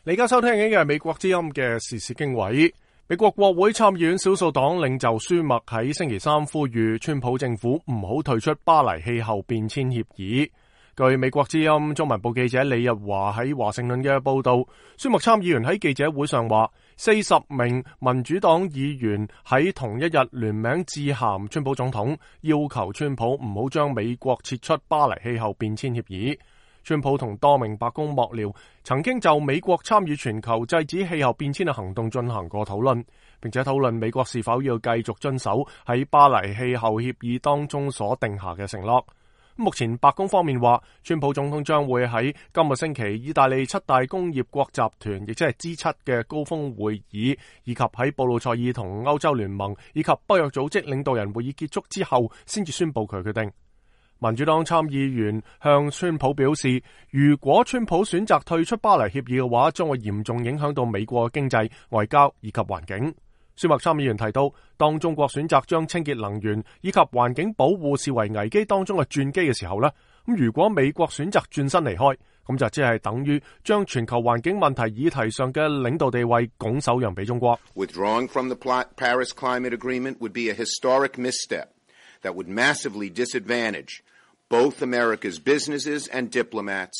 你而家收聽緊嘅係美國之音嘅時事經緯。美國國會參議院少數黨領袖舒默喺星期三呼籲川普政府唔好退出巴黎氣候變遷協議。據美國之音中文部記者李日華喺華盛頓嘅報道，舒默參議員喺記者會上話，40名民主黨議員喺同一日聯名致函川普總統，要求川普唔好將美國撤出巴黎氣候變遷協議。川普同多名白宮幕僚曾經就美國參與全球制止氣候變遷嘅行動進行過討論，並且討論美國是否要繼續遵守喺巴黎氣候協議當中所定下嘅承諾。目前白宮方面話，川普總統將會喺今個星期意大利7大工業國集團，亦即係 G7 嘅高峰會議，以及喺布魯塞爾同歐洲聯盟以及北約組織領導人會議結束之後，先至宣布佢決定。民主黨參議員向川普表示，如果川普選擇退出巴黎協議嘅話，將會嚴重影響到美國嘅經濟、外交以及環境。舒默參議員提到，當中國選擇將清潔能源以及環境保護視為危機當中嘅轉機嘅時候呢，如果美國選擇轉身離開，咁就即係等於將全球環境問題議題上嘅領導地位拱手讓俾中國。Withdrawing from the Paris Climate Agreement would be a historic misstep that would massively disadvantage both America's businesses and diplomats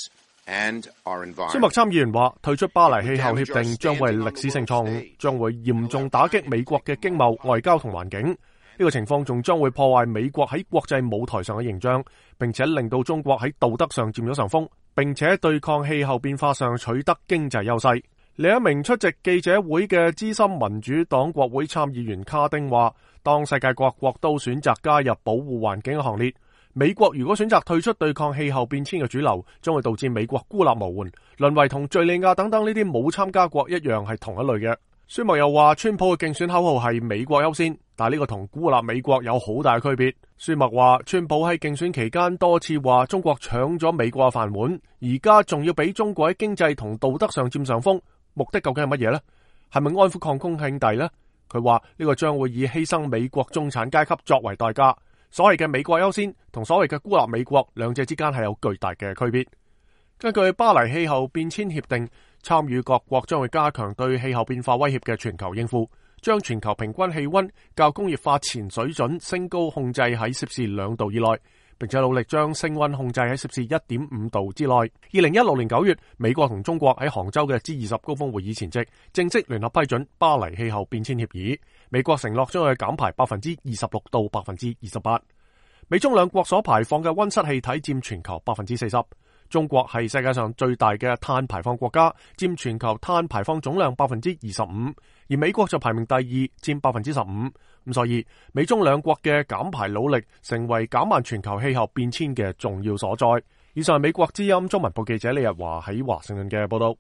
and our environment. 舒默參議員話，退出巴黎氣候協定將會係歷史性錯誤，將會嚴重打擊美國嘅經貿、外交同環境。呢個情況仲將會破壞美國喺國際舞台上嘅形象，並且令到中國喺道德上佔咗上風，並且對抗氣候變化上取得經濟優勢。另一名出席記者會嘅資深民主黨國會參議員卡丁話，當世界各國都選擇加入保護環境嘅行列，美國如果選擇退出對抗氣候變遷嘅主流，將會導致美國孤立無援，淪為同敘利亞等等呢啲冇參加國一樣係同一類嘅。舒默又話，川普嘅競選口號係美國優先，但係呢個同孤立美國有好大嘅區別。舒默話，川普喺競選期間多次話中國搶咗美國嘅飯碗，而家仲要俾中國喺經濟同道德上佔上風，目的究竟係乜嘢呢？係咪安撫礦工兄弟呢？佢話呢個將會以犧牲美國中產階級作為代價。所謂嘅美國優先同所謂嘅孤立美國，兩者之間係有巨大嘅區別。根據巴黎氣候變遷協定，參與各國將會加強對氣候變化威脅嘅全球應付，將全球平均氣溫較工業化前水準升高控制喺攝氏2度以內，並且努力將升溫控制喺攝氏1.5度之內。2016年9月，美國同中國喺杭州嘅 G20 高峰會議前夕，正式聯合批准巴黎氣候變遷協議。美國承諾將會減排26%到28%。美中兩國所排放嘅溫室氣體佔全球40%。中國係世界上最大嘅碳排放國家，佔全球碳排放總量25%，而美國就排名第2，佔15%。咁所以美中兩國嘅減排努力成為減慢全球氣候變遷嘅重要所在。以上係美國之音中文部記者李日華喺華盛頓嘅報道。